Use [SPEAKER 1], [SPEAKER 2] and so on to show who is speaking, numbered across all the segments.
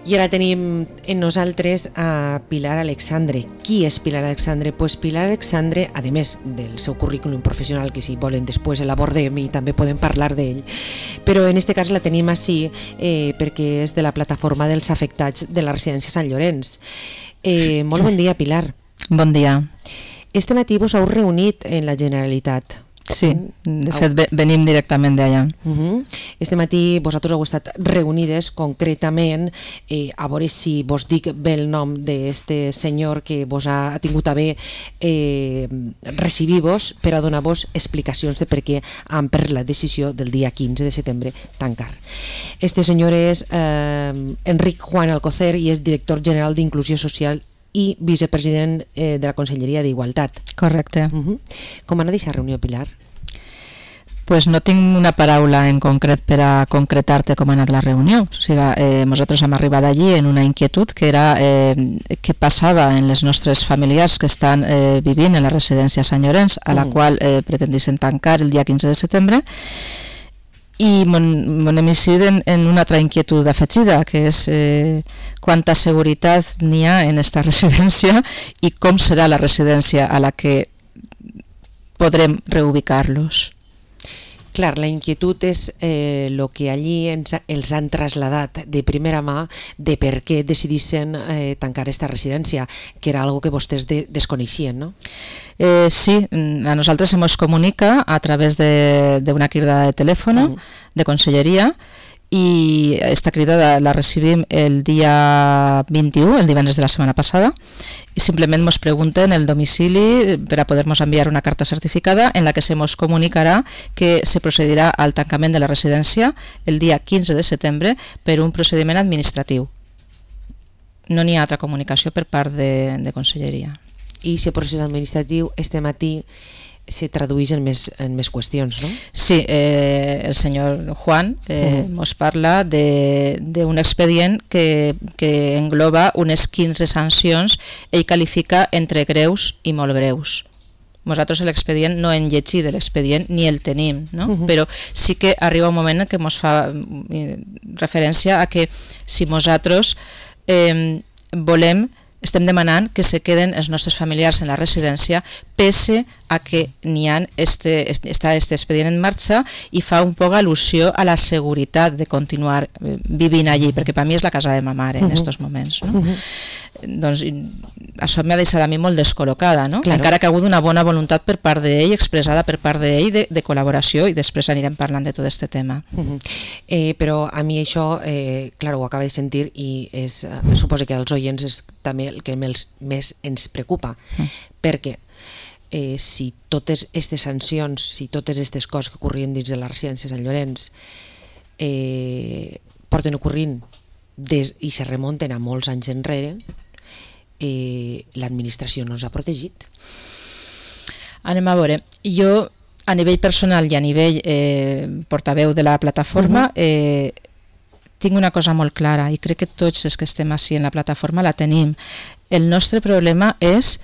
[SPEAKER 1] I ara tenim en nosaltres a Pilar Alexandre. Qui és Pilar Alexandre? Pues Pilar Alexandre, a més del seu currículum professional, que si volen després l'abordem i també podem parlar d'ell, però en este cas la tenim així perquè és de la plataforma dels afectats de la residència Sant Llorenç. Molt bon dia, Pilar.
[SPEAKER 2] Bon dia.
[SPEAKER 1] Este matí vos heu reunit en la Generalitat.
[SPEAKER 2] Sí, de fet venim directament d'allà.
[SPEAKER 1] Este matí vosaltres heu estat reunides concretament a veure si vos dic bé el nom d'este senyor que vos ha tingut a bé recibir-vos per a donar-vos explicacions de per què han pres la decisió del dia 15 de setembre tancar. Este senyor és Enric Juan Alcocer i és director general d'Inclusió Social i vicepresident de la Conselleria d'Igualtat.
[SPEAKER 2] Correcte.
[SPEAKER 1] Com ha anat aquesta reunió, Pilar?
[SPEAKER 2] Pues no tinc una paraula en concret per a concretar-te com ha anat la reunió. O sigui, nosaltres hem arribat allí en una inquietud que era què passava en les nostres familiars que estan vivint en la residència Sant Llorenç, a la qual pretendissin tancar el dia 15 de setembre, i m'hem incidit en una altra inquietud afegida, que és quanta seguretat n'hi ha en aquesta residència i com serà la residència a la que podrem reubicar-los.
[SPEAKER 1] Clar, la inquietud és el que allí els han traslladat de primera mà de per què decidissin tancar aquesta residència, que era algo que vostès desconeixien, no?
[SPEAKER 2] Sí, a nosaltres se nos comunica a través de una crida de telèfon de Conselleria, i esta crida la recibim el dia 21, el divendres de la setmana passada, i simplement ens pregunten el domicili per a poder-nos enviar una carta certificada en la que se ens comunicarà que se procedirà al tancament de la residència el dia 15 de setembre per un procediment administratiu. No n'hi ha altra comunicació per part de Conselleria.
[SPEAKER 1] I aquest procés administratiu este matí se tradueix en més qüestions, no?
[SPEAKER 2] Sí, el senyor Juan ens parla d'un expedient que engloba unes 15 sancions. Ell qualifica entre greus i molt greus. Nosaltres l'expedient no hem llegit de l'expedient ni el tenim, no? Però sí que arriba un moment en què ens fa referència a que si nosaltres estem demanant que se queden els nostres familiars en la residència pese a que n'hi ha està este expedient en marxa, i fa un poc al·lusió a la seguretat de continuar vivint allí, perquè per mi és la casa de ma mare en aquests moments, no? Doncs això m'ha deixat a mi molt descol·locada, no? Encara que ha hagut una bona voluntat per part d'ell, expressada per part d'ell, de col·laboració, i després anirem parlant de tot aquest tema.
[SPEAKER 1] Però a mi això, clar, ho acaba de sentir, i suposo que als oients és també el que més ens preocupa, perquè si totes aquestes sancions, si totes aquestes coses que ocorrien dins de la residència Sant Llorenç porten ocorrint i se remunten a molts anys enrere, l'administració no ens ha protegit.
[SPEAKER 2] Anem a veure, jo a nivell personal i a nivell portaveu de la plataforma tinc una cosa molt clara, i crec que tots els que estem així en la plataforma la tenim. El nostre problema és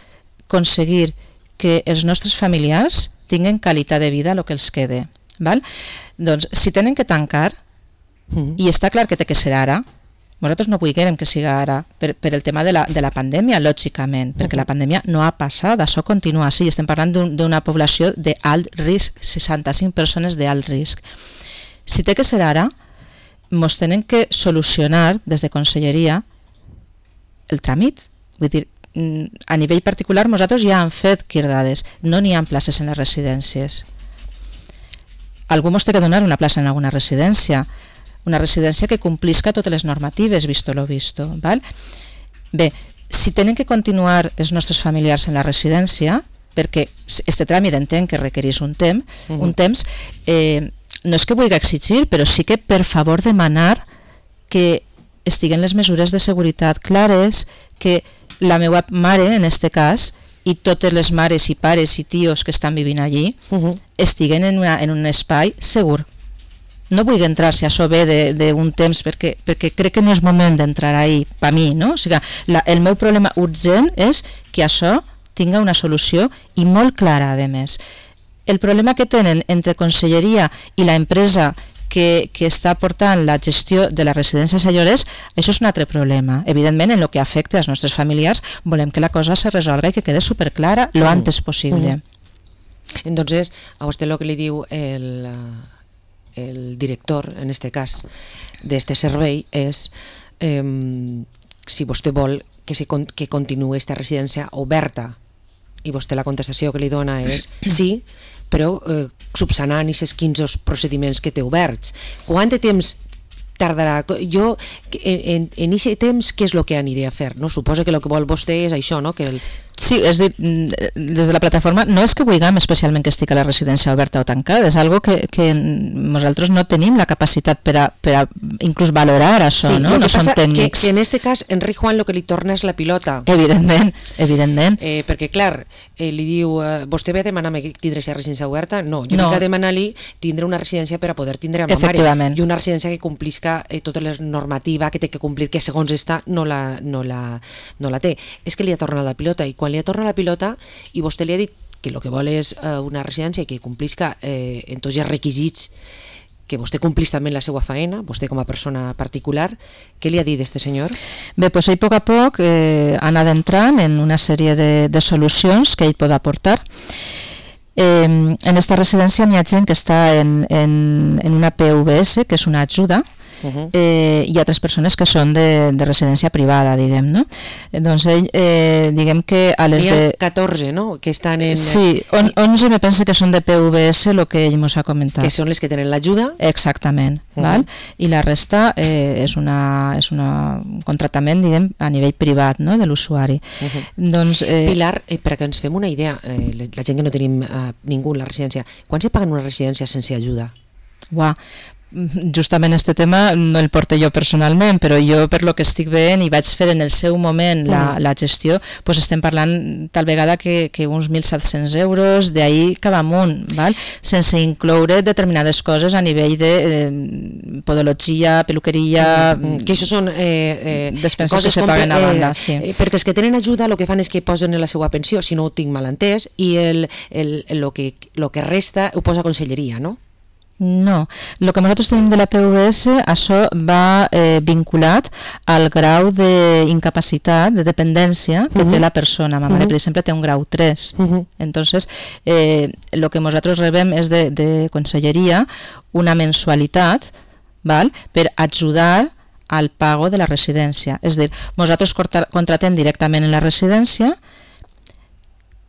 [SPEAKER 2] aconseguir que els nostres familiars tinguen qualitat de vida el que els quede. Doncs si tenen que tancar, i està clar que té que ser ara, nosaltres no volguem que sigui ara per el tema de la pandèmia, lògicament, perquè la pandèmia no ha passat, això continua així, estem parlant d'una població d'alt risc, 65 persones d'alt risc. Si té que ser ara, ens tenen que solucionar des de Conselleria el tràmit. Vull dir, a nivell particular nosaltres ja hem fet cridades, no n'hi ha places en les residències. Algú ens té que donar una plaça en alguna residència, una residència que complisca totes les normatives, visto lo visto. Bé, si tenen que continuar els nostres familiars en la residència, perquè aquest tràmit entenc que requereix un temps, no és que vulgui exigir, però sí que per favor demanar que estiguen les mesures de seguretat clares, que la meva mare, en aquest cas, i totes les mares i pares i tios que estan vivint allí estiguen en un espai segur. No vull entrar si això ve d'un temps, perquè crec que no és moment d'entrar ahí, per mi, no? O sigui, el meu problema urgent és que això tinga una solució i molt clara, a més. El problema que tenen entre Conselleria i l'empresa que està portant la gestió de les residències a lloguers, això és un altre problema. Evidentment, en el que afecta als nostres familiars, volem que la cosa se resolga i que quede superclara lo antes possible.
[SPEAKER 1] Entonces, a usted lo que le diu el director, en este cas, d'este servei, és si vostè vol que continuï esta residència oberta, i vostè la contestació que li dona és sí, però subsanant aquests 15 procediments que té oberts. Quant de temps tardarà? Jo, en aquest temps, què és el que aniré a fer? No? Suposo que el que vol vostè és això, no? Que
[SPEAKER 2] Sí, és dir, des de la plataforma no és que vulguem especialment que estigui la residència oberta o tancada, és algo que nosaltres no tenim la capacitat per a inclús valorar això,
[SPEAKER 1] sí,
[SPEAKER 2] no? No som tècnics.
[SPEAKER 1] Que en este cas, Enric Juan el que li torna és la pilota.
[SPEAKER 2] Evidentment.
[SPEAKER 1] Perquè, clar, li diu, vostè ve a demanar-me tindre aquesta residència oberta? No, jo vinc a demanar-li tindre una residència per a poder tindre a ma mare. I una residència que complisca tota la normativa que té que complir, que segons està no la té. És que li ha tornat la pilota, i quan li ha tornat la pilota i vostè li ha dit que el que vol és una residència que complisca en tots els requisits, que vostè complís també la seva feina, vostè com a persona particular, què li ha dit este senyor?
[SPEAKER 2] Bé, doncs ell a poc a poc ha anat entrant en una sèrie de solucions que ell pot aportar. En esta residència hi ha gent que està en una PVS, que és una ajuda, hi ha 3 persones que són de residència privada, diguem, no? Doncs ell, diguem que a les
[SPEAKER 1] de... Hi ha 14, no?, que estan en...
[SPEAKER 2] Sí, 11 me pensa que són de PVS, el que ell ens ha comentat.
[SPEAKER 1] Que són les que tenen l'ajuda?
[SPEAKER 2] Exactament, val? I la resta és un contractament, diguem, a nivell privat, no?, de l'usuari. Doncs...
[SPEAKER 1] Pilar, perquè ens fem una idea, la gent que no tenim ningú en la residència, quan se paga una residència sense ajuda?
[SPEAKER 2] Uau, justament este tema no el porto jo personalment, però jo per lo que estic veient i vaig fer en el seu moment la gestió, doncs estem parlant tal vegada que uns 1.700 euros d'ahir cap amunt, val? Sense incloure determinades coses a nivell de podologia, peluqueria...
[SPEAKER 1] Que això són
[SPEAKER 2] despenses que se paguen a banda, sí.
[SPEAKER 1] Perquè els que tenen ajuda el que fan és que posen en la seva pensió, si no ho tinc mal entès, i el que resta ho posa a conselleria, no?
[SPEAKER 2] No, el que nosaltres tenim de la PVS, això va vinculat al grau d'incapacitat, de dependència que té la persona. Ma mare, per exemple, té un grau 3. Entonces, el que nosaltres rebem és de conselleria una mensualitat, val, per ajudar al pago de la residència. És a dir, nosaltres contratem directament en la residència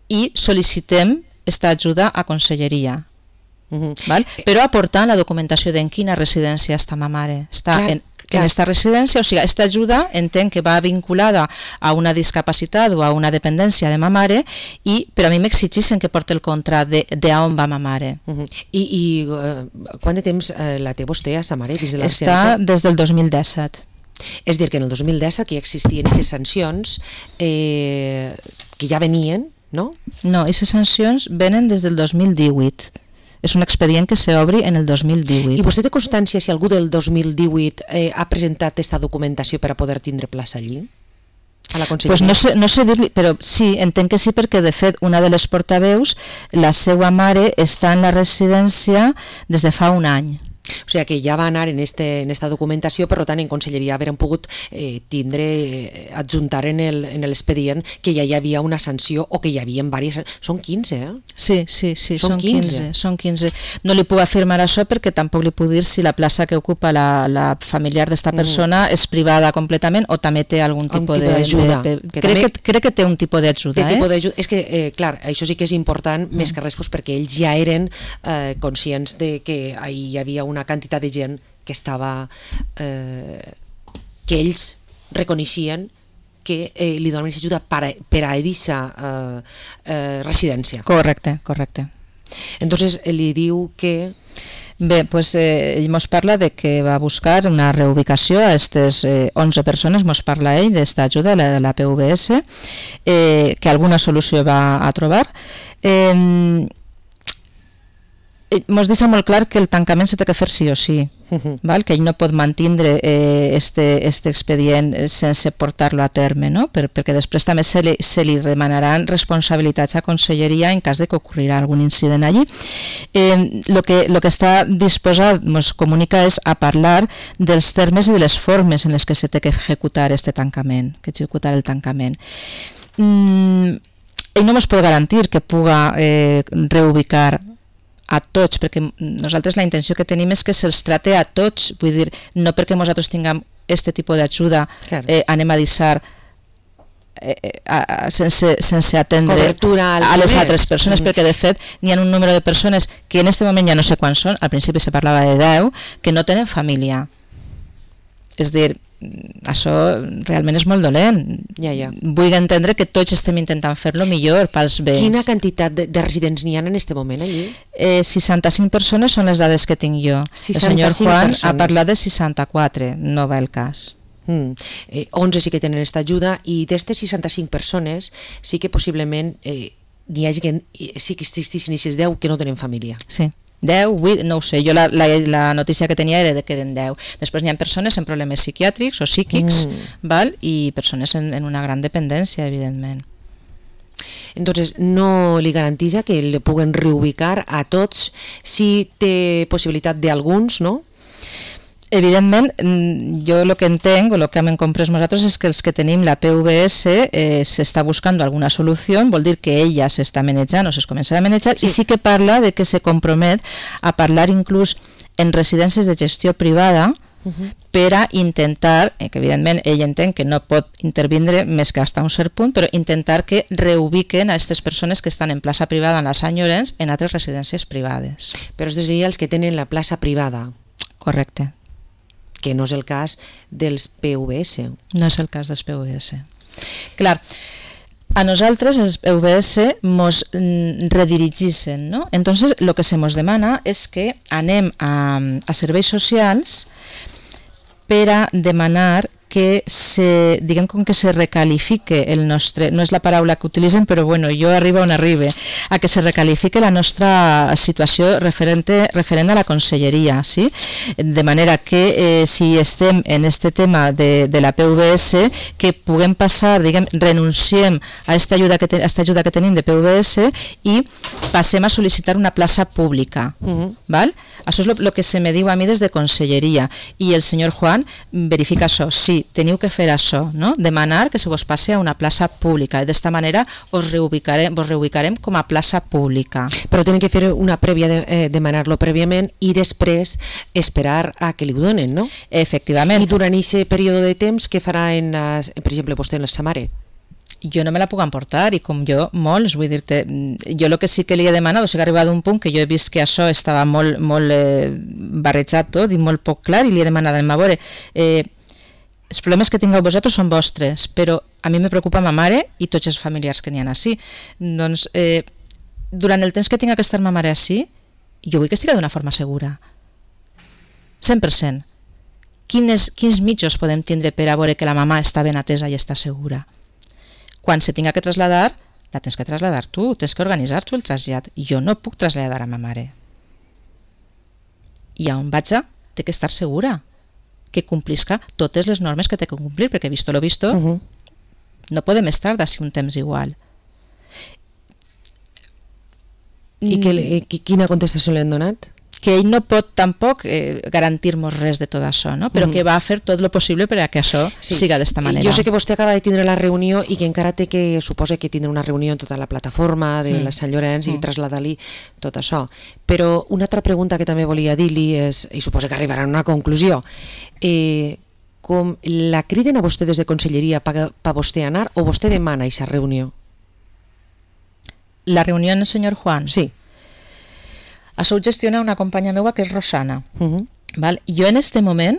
[SPEAKER 2] i sol·licitem aquesta ajuda a conselleria. Val? Però aportant la documentació d'en quina residència està ma mare. Està en aquesta residència, o sigui, aquesta ajuda entenc que va vinculada a una discapacitat o a una dependència de ma mare, però a mi m'exigeixen que porti el contracte d'on va ma mare.
[SPEAKER 1] I quant de temps la té vostè a sa mare dins de la residència?
[SPEAKER 2] Està des del 2017.
[SPEAKER 1] És dir, que en el 2017 que ja existien aquestes sancions que ja venien, no?
[SPEAKER 2] No, aquestes sancions venen des del 2018. És un expedient que s'obri en el 2018.
[SPEAKER 1] I vostè té constància si algú del 2018 ha presentat aquesta documentació per a poder tindre plaça allí? A la conselleria?
[SPEAKER 2] Pues no sé dir-li, però sí, entenc que sí, perquè de fet una de les portaveus, la seva mare, està en la residència des de fa un any.
[SPEAKER 1] O sigui que ja va anar en esta documentació, per tant en conselleria haurem pogut adjuntar en l'expedient que ja hi havia una sanció o que hi havia diverses... Són 15, eh?
[SPEAKER 2] Sí, són 15. No li puc afirmar això perquè tampoc li puc dir si la plaça que ocupa la familiar d'esta persona és privada completament o també té algun tipus d'ajuda. Crec que té un tipus d'ajuda.
[SPEAKER 1] És que, clar, això sí que és important, més que res perquè ells ja eren conscients de que hi havia una quantitat de gent que estava que ells reconeixien que li donaven ajuda per a aquesta residència.
[SPEAKER 2] Correcte.
[SPEAKER 1] Entonces li diu que...
[SPEAKER 2] Bé, doncs ell ens parla de que va buscar una reubicació a aquestes 11 persones, ens parla ell d'esta ajuda de la PVS, que alguna solució va a trobar. Mos deixa molt clar que el tancament s'ha de fer sí o sí, val? Que ell no pot mantindre este expedient sense portar-lo a terme, no? Perquè després també se li demanaran responsabilitats a Conselleria en cas de que ocorrirà algun incident allí. Lo que està disposat, ens comunica, és a parlar dels termes i de les formes en les que s'ha de executar este tancament, que executar el tancament. Ell no ens pot garantir que puga reubicar a tots, perquè nosaltres la intenció que tenim és que se'ls trate a tots, vull dir, no perquè nosaltres tinguem este tipus d'ajuda, anem a deixar sense atendre a les altres persones, perquè de fet n'hi ha un número de persones que en este moment ja no sé quants són, al principi se parlava de 10, que no tenen família. És dir, això realment és molt dolent. Vull entendre que tots estem intentant fer-lo millor pels béns.
[SPEAKER 1] Quina quantitat de residents n'hi ha en aquest moment allí?
[SPEAKER 2] 65 persones són les dades que tinc jo. El senyor Juan ha parlat de 64, no va el cas.
[SPEAKER 1] 11 sí que tenen aquesta ajuda, i d'aquestes 65 persones sí que possiblement n'hi hagi que sí que existissin aquestes 10 que no tenen família.
[SPEAKER 2] Sí. 10, 8, no ho sé, jo la notícia que tenia era de que eren 10. Després hi ha persones amb problemes psiquiàtrics o psíquics, val? I persones en una gran dependència, evidentment.
[SPEAKER 1] Entonces, no li garanteix que li puguen reubicar a tots, si té possibilitat d'alguns, no?
[SPEAKER 2] Evidentment, jo el que entenc, o el que hem comprès nosaltres, és que els que tenim la PVS s'està buscant alguna solució, vol dir que ella s'està manejant o es començarà a manejar, i sí que parla de que se compromet a parlar inclús en residències de gestió privada per a intentar, que evidentment ell entén que no pot intervindre més que fins a un cert punt, però intentar que reubiquen a aquestes persones que estan en plaça privada en la Sant Llorenç en altres residències privades.
[SPEAKER 1] Però es diria els que tenen la plaça privada.
[SPEAKER 2] Correcte.
[SPEAKER 1] Que no és el cas dels PVS.
[SPEAKER 2] No és el cas dels PVS. Clar, a nosaltres els PVS mos redirigissin, ¿no? Entonces, lo que se mos demana és que anem a serveis socials per a demanar que diguem com que se recalifique el nostre, no és la paraula que utilitzen, però bueno, jo arribo on arribe, a que se recalifique la nostra situació referent a la conselleria, sí? De manera que si estem en este tema de la PVS, que puguem passar, diguem, renunciem a esta ajuda que tenim de PVS i passem a sol·licitar una plaça pública, val? Això és el que se me diu a mi des de conselleria, i el senyor Juan verifica això, sí, teniu que fer això, no? Demanar que se vos passe a una plaça pública, i d'esta manera vos reubicarem com a plaça pública.
[SPEAKER 1] Però tenen que fer una prèvia, demanar-lo prèviament i després esperar a que li ho donen, no?
[SPEAKER 2] Efectivament.
[SPEAKER 1] I durant aquest període de temps, què farà, per exemple, vostè en la sa mare?
[SPEAKER 2] Jo no me la puc emportar, i com jo, molts, vull dir-te, jo el que sí que li he demanat, o sigui, ha arribat a un punt que jo he vist que això estava molt barrejat tot i molt poc clar, i li he demanat, a veure, els problemes que tingueu vosaltres són vostres, però a mi me preocupa ma mare i tots els familiars que n'hi ha així. Doncs, durant el temps que tinc que estar ma mare així, jo vull que estigui d'una forma segura. 100%. Quins mitjos podem tindre per a veure que la mama està ben atesa i està segura? Quan se tinga que traslladar, la tens que traslladar tu, tens que organitzar tu el trasllat. Jo no puc traslladar a ma mare. I on vaig té que estar segura que complisca totes les normes que té que complir, perquè visto lo visto, no podem estar d'ací un temps igual.
[SPEAKER 1] I quina contestació li han donat?
[SPEAKER 2] Que ell no pot tampoc garantir-nos res de tot això, no? Però que va a fer tot el possible per a que això siga d'esta manera.
[SPEAKER 1] Jo sé que vostè acaba de tindre la reunió i que encara té que, suposa que tindrà una reunió en tota la plataforma de la Sant Llorenç i traslladar-li tot això. Però una altra pregunta que també volia dir-li és, i suposa que arribarà a una conclusió, com la criden a vostè des de conselleria per vostè anar o vostè demana aquesta reunió?
[SPEAKER 2] La reunió amb el senyor Juan?
[SPEAKER 1] Sí.
[SPEAKER 2] Això ho gestiona una companya meva que és Rosana. Val? Jo en este moment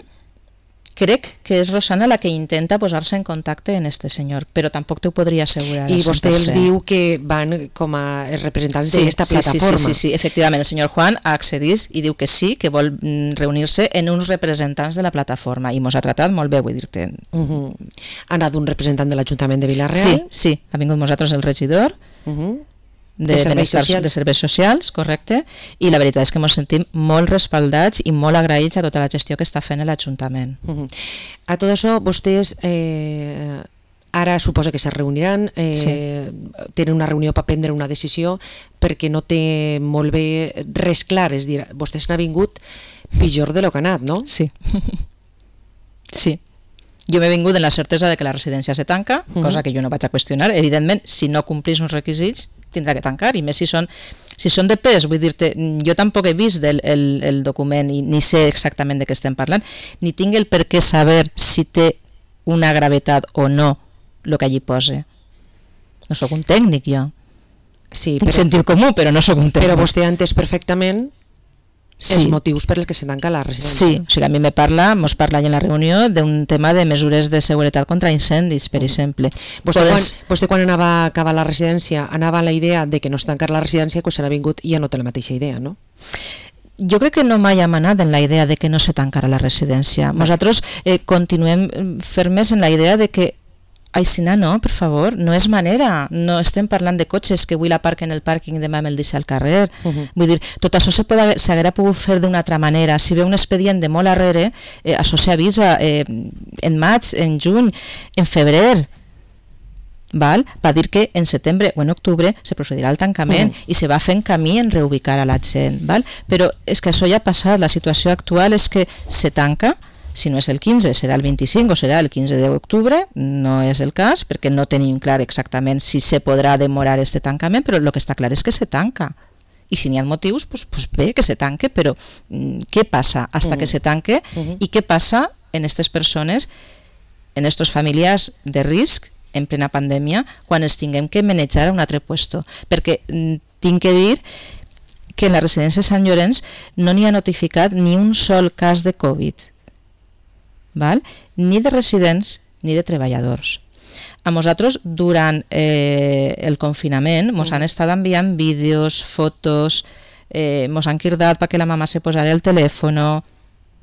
[SPEAKER 2] crec que és Rosana la que intenta posar-se en contacte amb este senyor, però tampoc t'ho podria assegurar.
[SPEAKER 1] I vostè els diu que van com a representants d'aquesta plataforma.
[SPEAKER 2] Sí, efectivament, el senyor Juan accedís i diu que sí, que vol reunir-se en uns representants de la plataforma, i mos ha tratat molt bé, vull dir-te.
[SPEAKER 1] Ha anat un representant de l'Ajuntament de Vila-real?
[SPEAKER 2] Sí, ha vingut nosaltres el regidor, de serveis socials, correcte, i la veritat és que ens sentim molt respaldats i molt agraïts a tota la gestió que està fent l'Ajuntament.
[SPEAKER 1] A tot això, vostès ara suposa que se reuniran, tenen una reunió per prendre una decisió perquè no té molt bé res clar, és dir, vostès n'ha vingut pitjor de lo que ha anat, no?
[SPEAKER 2] Sí. Sí. Jo m'he vingut en la certesa de que la residència se tanca, cosa que jo no vaig a qüestionar. Evidentment, si no complís uns requisits, tindrà que tancar, i més si són de pes. Vull dir-te, jo tampoc he vist el document i ni sé exactament de què estem parlant, ni tinc el per què saber si té una gravetat o no el que allí posa. No sóc un tècnic, jo.
[SPEAKER 1] Sí,
[SPEAKER 2] tinc sentit comú, però no sóc un tècnic.
[SPEAKER 1] Però vostè ha entès perfectament els motius per els que se tanca la residència.
[SPEAKER 2] Sí, o sigui, a mi mos parla en la reunió d'un tema de mesures de seguretat contra incendis, per exemple.
[SPEAKER 1] Vostè quan anava a acabar la residència anava a la idea de que no es tancar la residència, quan s'ha vingut ja no té la mateixa idea, no?
[SPEAKER 2] Jo crec que no mai hem anat en la idea de que no se tancarà la residència. Nosaltres continuem fermes en la idea de que Aixina no, per favor, no és manera. No estem parlant de cotxes que avui l'aparquen el pàrquing i demà me'l deixa al carrer. Vull dir, tot això s'haguera pogut fer d'una altra manera. Si ve un expedient de molt arrere, això s'avisa en maig, en juny, en febrer. Va dir que en setembre o en octubre se procedirà al tancament i se va fent camí en reubicar a la gent. Però és que això ja ha passat. La situació actual és que se tanca. Si no és el 15, serà el 25 o serà el 15 d'octubre, no és el cas, perquè no tenim clar exactament si se podrà demorar este tancament, però el que està clar és que se tanca. I si n'hi ha motius, doncs bé, que se tanque, però què passa hasta que se tanque i què passa en aquestes persones, en aquests familiars de risc, en plena pandèmia, quan els tinguem que manejar a un altre puesto? Perquè tinc que dir que en la residència de Sant Llorenç no n'hi ha notificat ni un sol cas de Covid. Ni de residents ni de treballadors. A nosaltres, durant el confinament, ens han estat enviant vídeos, fotos, ens han cridat perquè la mama se posara el telèfon.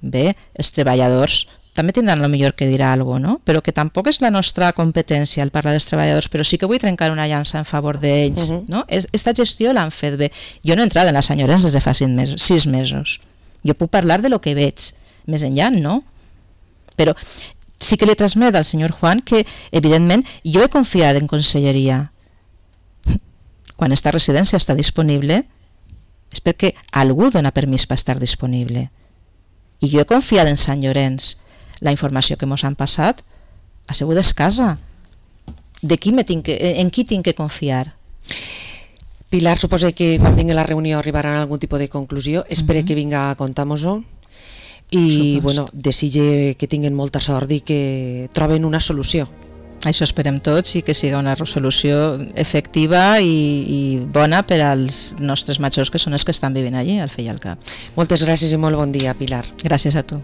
[SPEAKER 2] Bé, els treballadors també tindran el millor que dirà alguna cosa, no? Però que tampoc és la nostra competència el parlar dels treballadors, però sí que vull trencar una llança en favor d'ells. Esta gestió l'han fet bé. Jo no he entrat en la Sant Llorenç des de fa 6 mesos. Jo puc parlar de lo que veig. Més enllà, no. Però sí que li transmet al senyor Juan que, evidentment, jo he confiat en conselleria. Quan esta residència està disponible és perquè algú dona permís per estar disponible. I jo he confiat en Sant Llorenç. La informació que ens han passat ha sigut escassa. En qui tinc que confiar?
[SPEAKER 1] Pilar, suposa que quan tingui la reunió arribaran a algun tipus de conclusió. Espero que vinga a contar-nos-ho. I desitge que tinguin molta sort i que troben una solució.
[SPEAKER 2] Això esperem tots, i que siga una resolució efectiva i bona per als nostres majors, que són els que estan vivint allí, al Fe i al Cap.
[SPEAKER 1] Moltes gràcies i molt bon dia, Pilar.
[SPEAKER 2] Gràcies a tu.